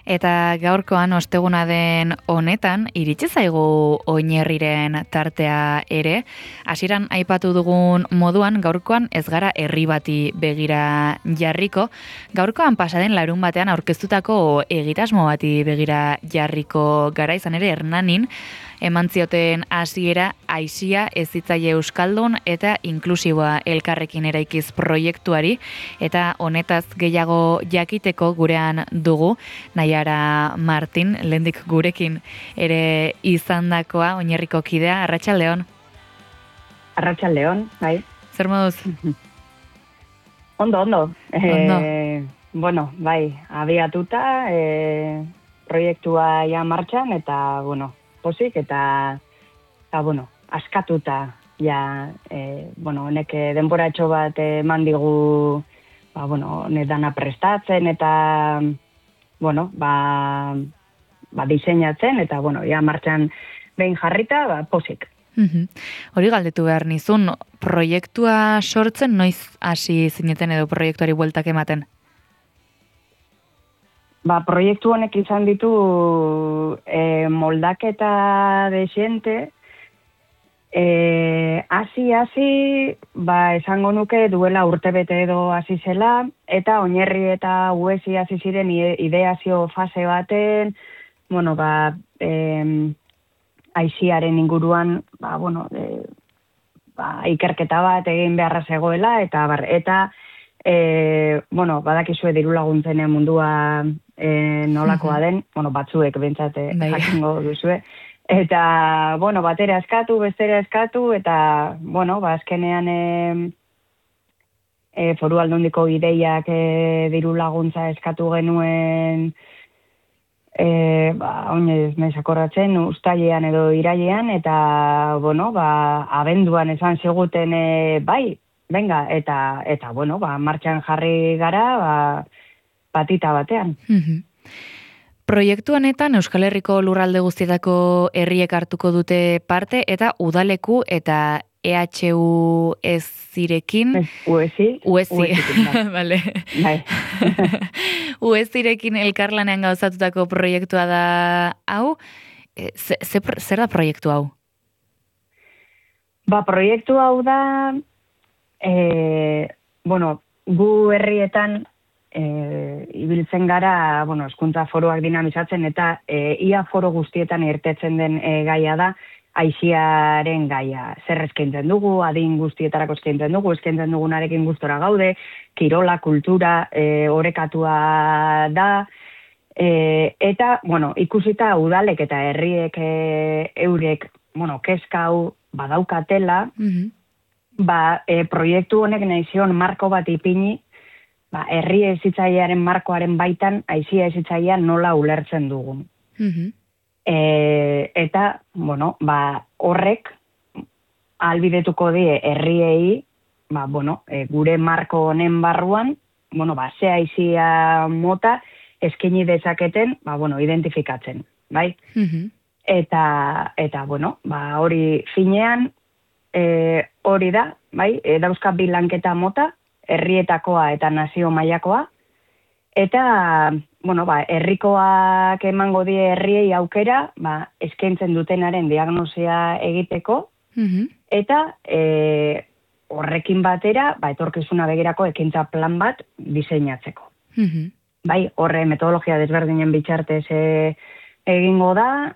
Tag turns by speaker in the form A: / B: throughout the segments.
A: Eta gaurkoan osteguna den honetan, iritsi zaigu Oinerriren tartea ere. Hasieran aipatu dugun moduan, gaurkoan ez gara herri bati begira jarriko. Gaurkoan pasaden larun batean aurkeztutako egitasmo bati begira jarriko gara, izan ere Hernanin, eman zioten hasiera Aisia Hezitzaile Euskaldun eta inklusiboa elkarrekin eraikiz proiektuari, eta honetaz gehiago jakiteko gurean dugu Naiara Martin, lehendik gurekin ere izandakoa, Oinerriko kidea. Arratsaldeon.
B: Arratsaldeon, bai.
A: Zer moduz?
B: Ondo.
A: Ondo.
B: Bai, abiatuta, proiektua ja martxan, eta, pozik, eta askatuta, ja, honek denboratxo bat eman digu, dana prestatzen, eta, diseinatzen, eta, ja, martxan behin jarrita, pozik.
A: Hori galdetu behar nizun, proiektua sortzen noiz hasi zineten edo proiektuari bueltak ematen?
B: Proiektu honek izan ditu moldaketa desiente, hasi, esango nuke duela urtebete edo hasi zela, eta Oinerri eta Uesi hasi ziren ideazio fase baten, Aisiaren inguruan, ikerketa bat egin beharra zegoela, eta badakizue diru laguntzen mundua nolakoa den, batzuek bentsat jakingo duzue. Eta, batera eskatu, bestera eskatu, eta, azkenean Foru Aldundiko ideiak diru laguntza eskatu genuen, oinez naiz akordatzen, uztailean edo irailean, eta, abenduan esan ziguten, bai, venga, eta martxan jarri gara, batita batean.
A: Proiektu honetan Euskal Herriko lurralde guztietako herriek hartuko dute parte, eta udaleku eta EHU ezirekin...
B: Uesi,
A: vale.
B: Bai.
A: Uesirekin elkarlanean gauzatutako proiektua da hau. Zer da proiektu hau?
B: Proiektu hau da, gu herrietan ibiltzen gara, hezkuntza foroak dinamizatzen, eta ia foro guztietan irtetzen den gaia da, Aisiaren gaia. Zer eskaintzen dugu, adin guztietarako eskaintzen dugunarekin gustora gaude, kirola, kultura, orekatua da, eta, ikusita udalek eta herriek eurek, kezka hau badaukatela, proiektu honek nahi zion marko bat ipini, herri hezitzailearen markoaren baitan Aisia hezitzailea nola ulertzen dugun. Eta, horrek ahalbidetuko die herriei, gure marko honen barruan, ze Aisia mota eskaini dezaketen, identifikatzen, bai? Eta, hori finean, hori da, bai? Dauzka bi lanketa mota, herrietakoa eta nazio mailakoa, eta, herrikoak emango die herriei aukera, eskaintzen dutenaren diagnosia egiteko, eta horrekin batera, etorkizuna begirako ekintza plan bat diseinatzeko. Bai, horre metodologia desberdinen bitartez egingo da,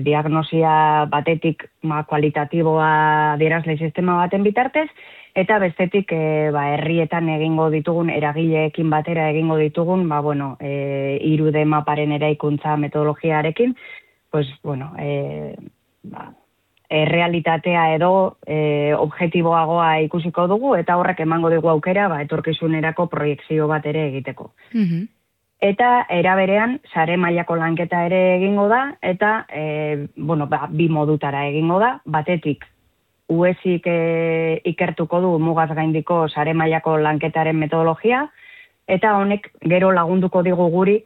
B: diagnosia batetik kualitatiboa adierazle sistema baten bitartez, eta bestetik herrietan egingo ditugun, eragileekin batera egingo ditugun, 3D maparen eraikuntza metodologiarekin, realitatea edo objektiboagoa ikusiko dugu, eta horrek emango dugu aukera etorkizunerako proiekzio bat ere egiteko. Eta eraberean, sare mailako lanketa ere egingo da, eta bi modutara egingo da, batetik Uesik ikertuko du mugaz gaindiko sare mailako lanketaren metodologia, eta honek gero lagunduko digu guri,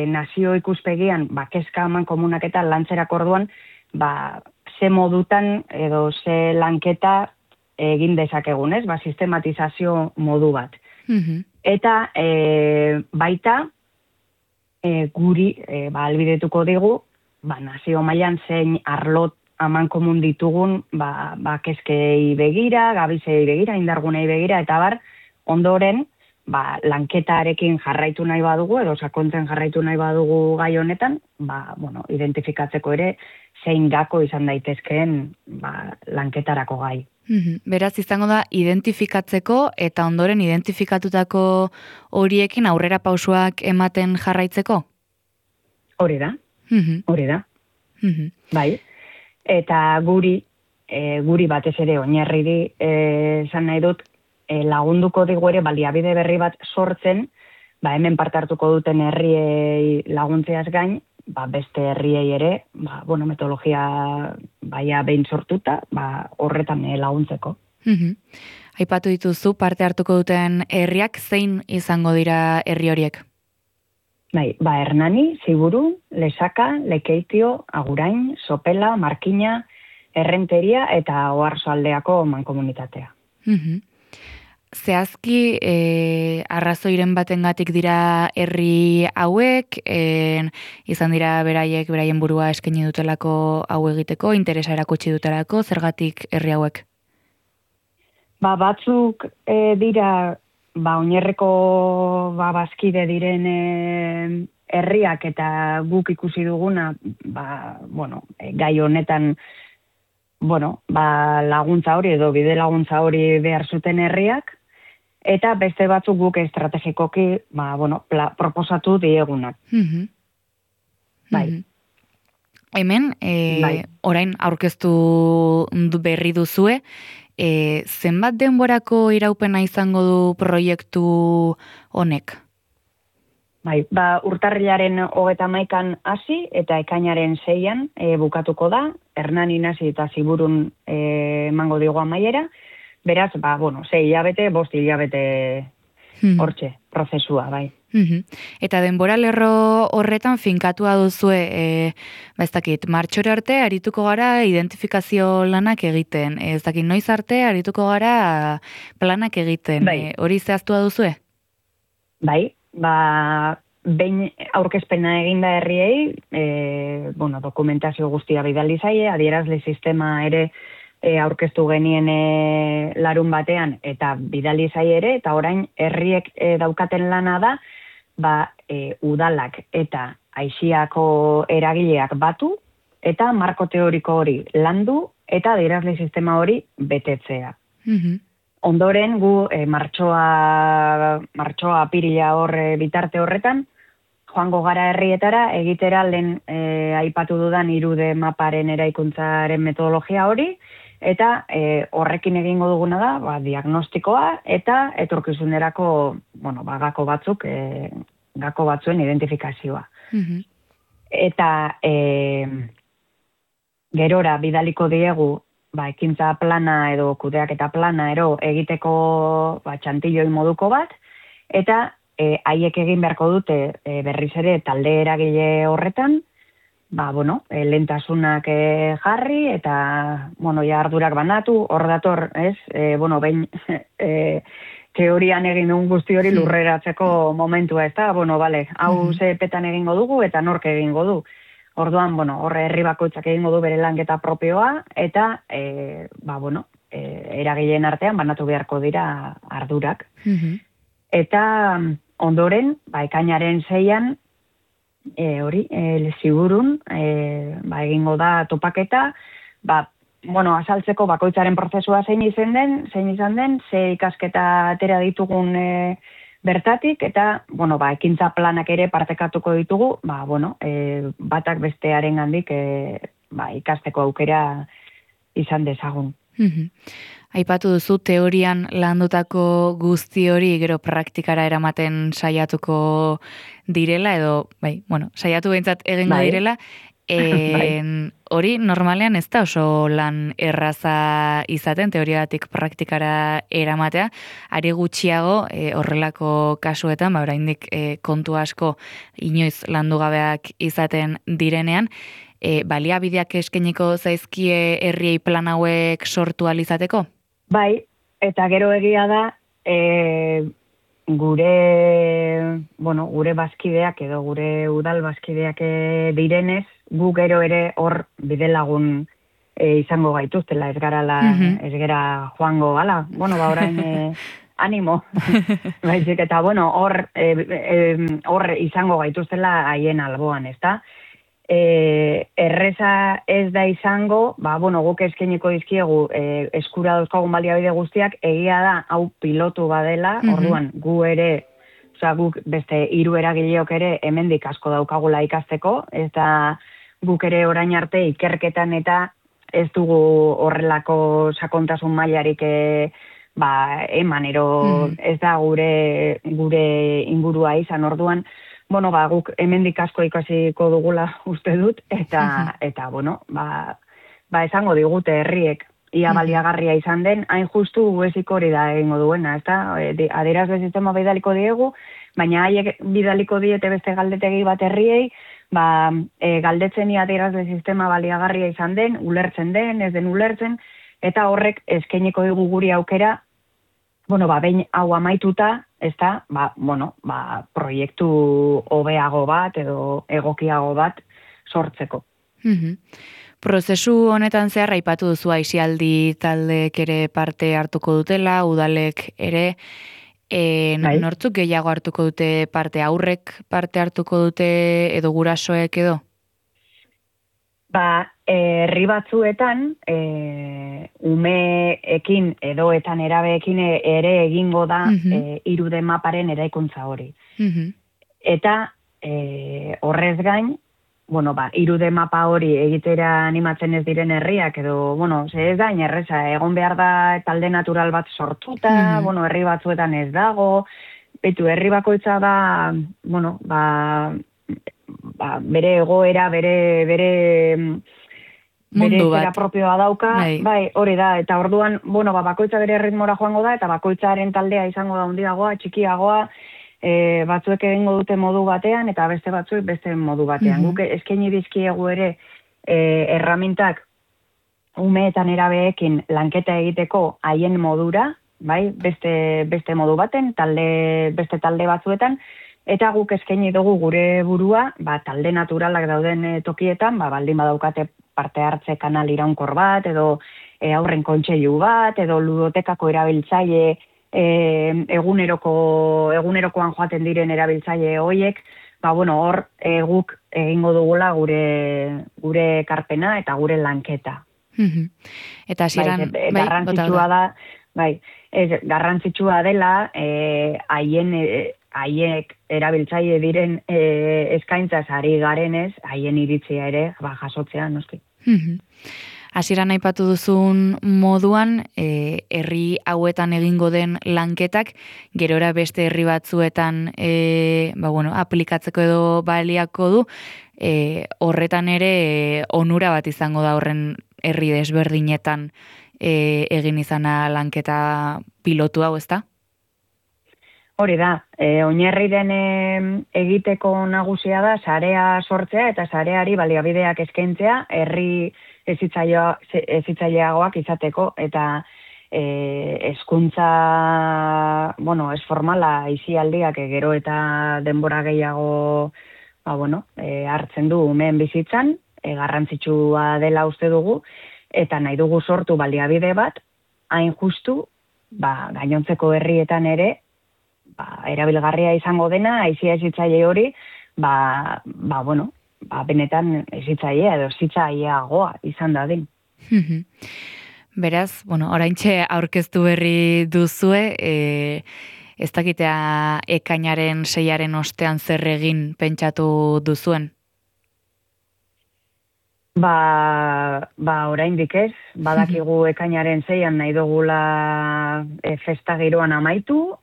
B: nazio ikuspegian, kezka eman komunak eta lantzerako orduan, ze modutan edo ze lanketa egin dezakegun, ez? Sistematizazio modu bat. Eta baita, guri albidetuko digu, nazio mailan zein arlot aman komun ditugun, kezkei begira, gabizei begira, indargunei begira, eta bar, ondoren, lanketarekin jarraitu nahi badugu, edo sakontzen jarraitu nahi badugu gai honetan, identifikatzeko ere, zein gako izan daitezkeen lanketarako gai.
A: Beraz, izango da, identifikatzeko eta ondoren identifikatutako horiekin aurrera pausuak ematen jarraitzeko?
B: Hori da, hori da. Bai, eta guri batez ere oinarriri esan nahi dut, lagunduko digu ere baliabide berri bat sortzen, hemen parte hartuko duten herriei laguntzeaz gain, beste herriei ere, metodologia behin sortuta, horretan laguntzeko.
A: Aipatu dituzu parte hartuko duten herriak, zein izango dira herri horiek?
B: Hernani, Ziburu, Lesaka, Lekeitio, Agurain, Sopela, Markina, Errenteria eta Oarsoaldeako mankomunitatea.
A: Zehazki, arrazoiren batengatik dira herri hauek, izan dira beraien burua eskaini dutelako hau egiteko, interesa erakutsi dutelako, zergatik herri hauek?
B: Batzuk dira, oinarreko bazkide diren herriak eta guk ikusi duguna, gai honetan, laguntza hori edo bide laguntza hori behar zuten herriak, eta beste batzuk guk estrategikoki, proposatu diegunak.
A: Hemen, orain aurkeztu berri duzue, zenbat denborako iraupena izango du proiektu honek?
B: Urtarrilaren 31an hasi eta ekainaren 6an bukatuko da, Hernanin hasi eta Ziburun emango digu amaiera, beraz, 6 hilabete, 5 hilabete hortxe, prozesua, bai.
A: Eta denbora lerro horretan finkatua duzue, ez dakit, martxore arte arituko gara identifikazio lanak egiten, ez dakit, noiz arte arituko gara planak egiten, hori zehaztua duzue?
B: Bai, behin aurkezpena eginda herriei, dokumentazio guztia bidali zaie, adierazle sistema ere aurkeztu genien larun batean eta bidali zaie ere, eta orain herriek daukaten lana da, udalak eta aixiako eragileak batu, eta marko teoriko hori landu, eta adierazle sistema hori betetzea. Ondoren gu martxoa apirila bitarte horretan, joango gara herrietara, egitera lehen aipatu dudan 3D maparen eraikuntzaren metodologia hori, eta horrekin egingo duguna da, diagnostikoa eta etorkizunerako, gako batzuk, gako batzuen identifikazioa. Eta gerora bidaliko diegu, ekintza plana edo kudeaketa plana egiteko txantilloi moduko bat, eta haiek egin beharko dute berriz ere talde eragile horretan, lehentasunak jarri eta ardurak banatu, hor dator, ez? Behin teorian egin dugun guzti hori lurreratzeko momentua, ez da? Hau zepetan egingo dugu eta nork egingo du. Orduan, horre herri bakoitzak egingo du bere lanketa propioa, eta, eragileen artean banatu beharko dira ardurak. Eta ondoren, ekainaren 6an, Ziburun, egingo da topaketa, azaltzeko bakoitzaren prozesua zein izan den, ze ikasketa atera ditugun bertatik, eta, ekintza planak ere partekatuko ditugu, batak bestearen gandik ikasteko aukera izan dezagun.
A: Aipatu duzu teorian landutako guzti hori gero praktikara eramaten saiatuko direla, edo, saiatu behintzat egingo direla, hori normalean ez da oso lan erraza izaten, teoriatik praktikara eramatea, ari gutxiago horrelako kasuetan, oraindik kontu asko inoiz landu gabeak izaten direnean, baliabideak eskainiko zaizkie herriei plan hauek sortu alizateko?
B: Bai, eta gero egia da, gure bazkideak edo gure udal bazkideak direnez, gu gero ere hor bidelagun izango gaituztela, ez gara joango, orain animo, baizik eta, hor izango gaituztela haien alboan, ez da? Erreza ez da izango, guk eskainiko dizkiegu eskura dauzkagun baliabide guztiak, egia da, hau pilotu badela, orduan, guk beste 3 eragileok ere hemendik asko daukagula ikasteko, eta guk ere orain arte ikerketan eta ez dugu horrelako sakontasun mailarik emanero ez da gure ingurua izan, orduan, guk hemendik asko ikasiko dugula uste dut, eta esango digute herriek ia baliagarria izan den, hain justu eziko hori da egingo duena, ez da? Adierazle sistema bidaliko diegu, baina haiek bidaliko diete beste galdetegi bat herriei, galdetzen adierazle sistema baliagarria izan den, ulertzen den, ez den ulertzen, eta horrek eskainiko digu guri aukera, behin hau amaituta, ez da, proiektu hobeago bat edo egokiago bat sortzeko.
A: Prozesu honetan zehar aipatu duzu aisialdi taldeek ere parte hartuko dutela, udalek ere, nortzuk gehiago hartuko dute parte, aurrek parte hartuko dute edo gurasoek edo?
B: Herri batzuetan, umeekin edo eta nerabeekin ere egingo da 3D maparen eraikuntza hori. Eta horrez gain, 3D mapa hori egitera animatzen ez diren herriak, edo, ez da, inerreza, egon behar da talde natural bat sortuta, herri batzuetan ez dago, herri bakoitza da, bere egoera, bere zera propioa dauka, hori da, eta orduan, bakoitza bere ritmora joango da, eta bakoitzaren taldea izango da handiagoa, txikiagoa, batzuek egingo dute modu batean, eta beste batzuek beste modu batean. Guk eskaini dizkiegu ere erramintak umeetan erabeekin lanketa egiteko haien modura, beste modu baten, beste talde batzuetan, eta guk eskaini dugu gure burua, talde naturalak dauden tokietan, baldin badaukate parte hartze kanal iraunkor bat, edo aurren kontseilu bat, edo ludotekako erabiltzaile egunerokoan joaten diren erabiltzaile hoiek, hor guk egingo dugula gure ekarpena eta gure lanketa.
A: Eta hasieran
B: garrantzitsua da, garrantzitsua dela haiek erabiltzaile diren eskaintzaz ari garenez, haien iritzia ere jasotzea, noski.
A: Hasieran aipatu duzun moduan, herri hauetan egingo den lanketak, gerora beste herri batzuetan aplikatzeko edo baliako du, horretan ere onura bat izango da horren herri desberdinetan egin izana lanketa pilotu hau, ezta?
B: Hori da, oinarriren egiteko nagusia da sarea sortzea eta sareari baliabideak eskaintzea herri hezitzaileagoak izateko, eta hezkuntza, ez formala aisialdiak gero eta denbora gehiago hartzen du umeen bizitzan, garrantzitsua dela uste dugu, eta nahi dugu sortu baliabide bat, hain justu, gainontzeko herrietan ere, erabilgarria izango dena, aisia hezitzaile hori, benetan hezitzailea edo hezitzaileagoa izan dadin.
A: Beraz, oraintxe aurkeztu berri duzue, ez dakitea ekainaren 6. ostean zer egin pentsatu duzuen?
B: Oraindik ez, badakigu ekainaren 6 nahi dugula festa giroan amaitu,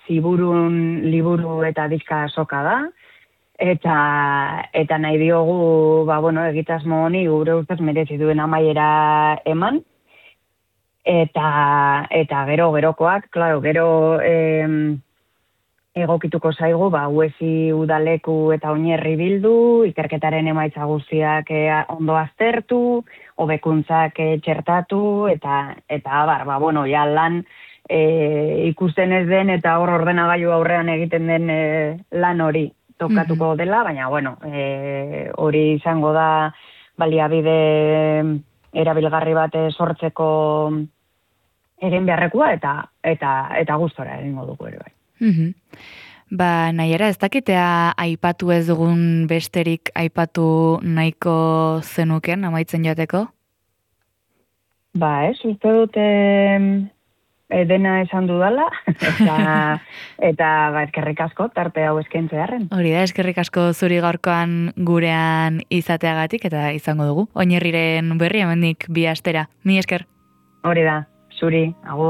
B: Ziburun liburu eta diska azoka da, eta nahi diogu, egitasmo honi gure ustez merezi duen amaiera eman, eta gerokoak, gero egokituko zaigu, Uesi udaleku eta oinerri bildu, ikerketaren emaitza guztiak ondo aztertu, hobekuntzak txertatu, eta lan ikusten ez den eta hor ordenagailu aurrean egiten den lan hori tokatuko dela, baina bueno, hori izango da baliabide erabilgarri bat sortzeko egin beharrekoa eta gustora egingo dugu ere bai.
A: Ba, Naiara, ez dakitea aipatu ez dugun besterik aipatu nahiko zenuken amaitzen joateko?
B: Ba, uste dute dena esan dudala, eta ba, eskerrik asko tarte hau eskaintzearren.
A: Hori da, eskerrik asko zuri gaurkoan gurean izateagatik eta izango dugu. Oinarriren berri hemendik 2 astera. Mi esker.
B: Hori da, zuri, agur.